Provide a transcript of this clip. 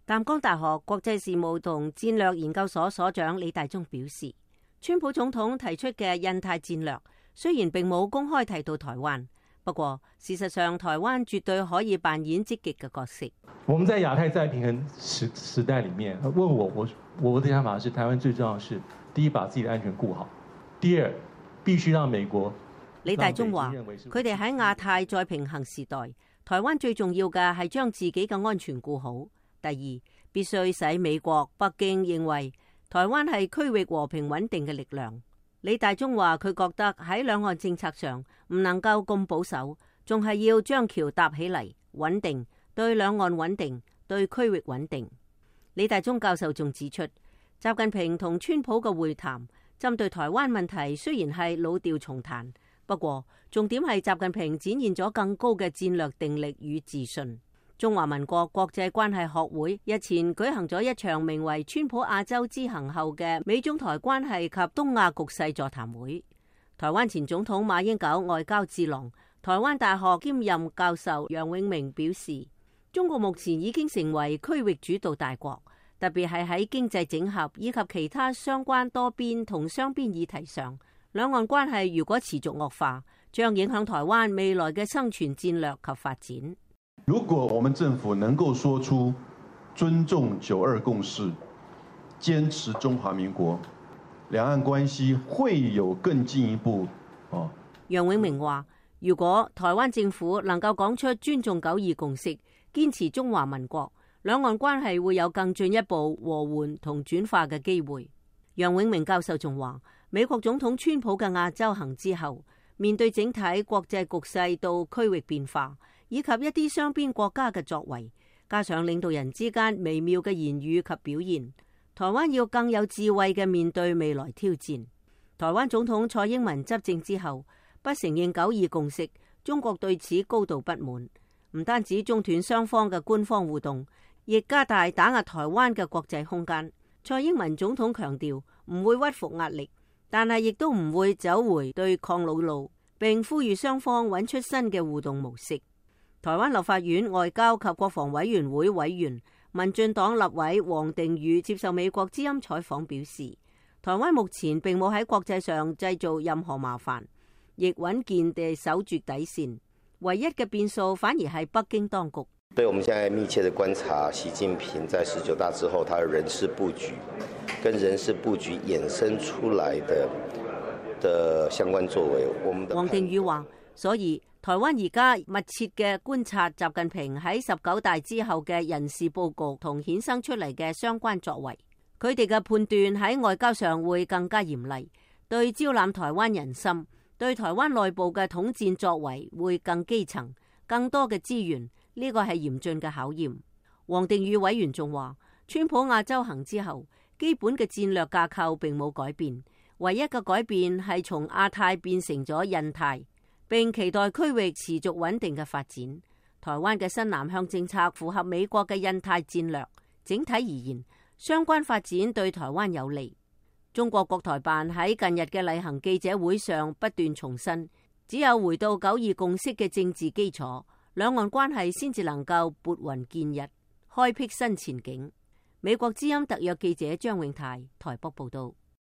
淡江大學國際事務同戰略研究所所長李大忠表示，川普總統提出嘅印太戰略雖然並冇公開提到台灣，不過事實上台灣絕對可以扮演積極嘅角色。我們在亞太再平衡時代裡面，問我的想法是，台灣最重要是第一，把自己的安全顧好；第二，必須讓美國。李大忠話：佢哋喺亞太再平衡時代，台灣最重要嘅係將自己嘅安全顧好。第二，必須使美國、北京認為台灣係區域和平穩定嘅力量。李大忠話：佢覺得喺兩岸政策上唔能夠咁保守，仲係要將橋搭起嚟，穩定，對兩岸穩定，對區域穩定。李大忠教授仲指出，習近平同川普嘅會談針對台灣問題雖然係老調重彈，不過重點係習近平展現咗更高嘅戰略定力與自信。中華民國國際關係學會日前舉行咗一場名為川普亞洲之行後嘅美中台關係及東亞局勢座談會。台灣前總統馬英九外交智囊、台灣大學兼任教授楊永明表示，中國目前已經成為區域主導大國，特別係喺經濟整合以及其他相關多邊同雙邊議題上，兩岸關係如果持續惡化，將影響台灣未來嘅生存戰略及發展。如果我們政府能夠說出尊重9·2共識，堅持中華民國，兩岸關係會有更進一步。楊永明話：如果台灣政府能夠講出尊重9·2共識，堅持中華民國，兩岸關係會有更進一步和緩同轉化嘅機會。楊永明教授仲話：美國總統川普嘅亞洲行之後，面對整體國際局勢到區域變化，以及一啲雙邊國家嘅作為，加上領導人之間微妙嘅言語及表現，台灣要更有智慧嘅面對未來挑戰。台灣總統蔡英文執政之後，不承認9·2共識，中國對此高度不滿，唔單止中斷雙方嘅官方互動，亦加大打壓台灣嘅國際空間。蔡英文總統強調唔會屈服壓力，但係亦都唔會走回對抗老路，並呼籲雙方揾出新嘅互動模式。台灣立法院外交及國防委員會委員、民進黨立委王定宇接受美國之音採訪表示，台灣目前並冇喺國際上製造任何麻煩，亦穩健地守住底線，唯一嘅變數反而係北京當局。對，我們現在密切地觀察習近平在19大之後，他的人事佈局，跟人事佈局衍生出來的相關作為。王定宇話，所以台灣而家密切嘅觀察習近平喺19大之後嘅人事佈局同衍生出嚟嘅相關作為，佢哋嘅判斷喺外交上會更加嚴厲，對招攬台灣人心，對台灣內部嘅統戰作為會更基層，更多嘅資源，呢個係嚴峻嘅考驗。王定宇委員仲話，川普亞洲行之後，基本嘅戰略架構並冇改變，唯一嘅改變係從亞太變成咗印太，並期待區域持續穩定嘅發展。台灣嘅新南向政策符合美國嘅印太戰略，整體而言，相關發展對台灣有利。中國國台辦喺近日嘅例行記者會上不斷重申，只有回到9·2共識嘅政治基礎，兩岸關係先至能夠撥雲見日，開闢新前景。美國之音特約記者張永泰台北報道。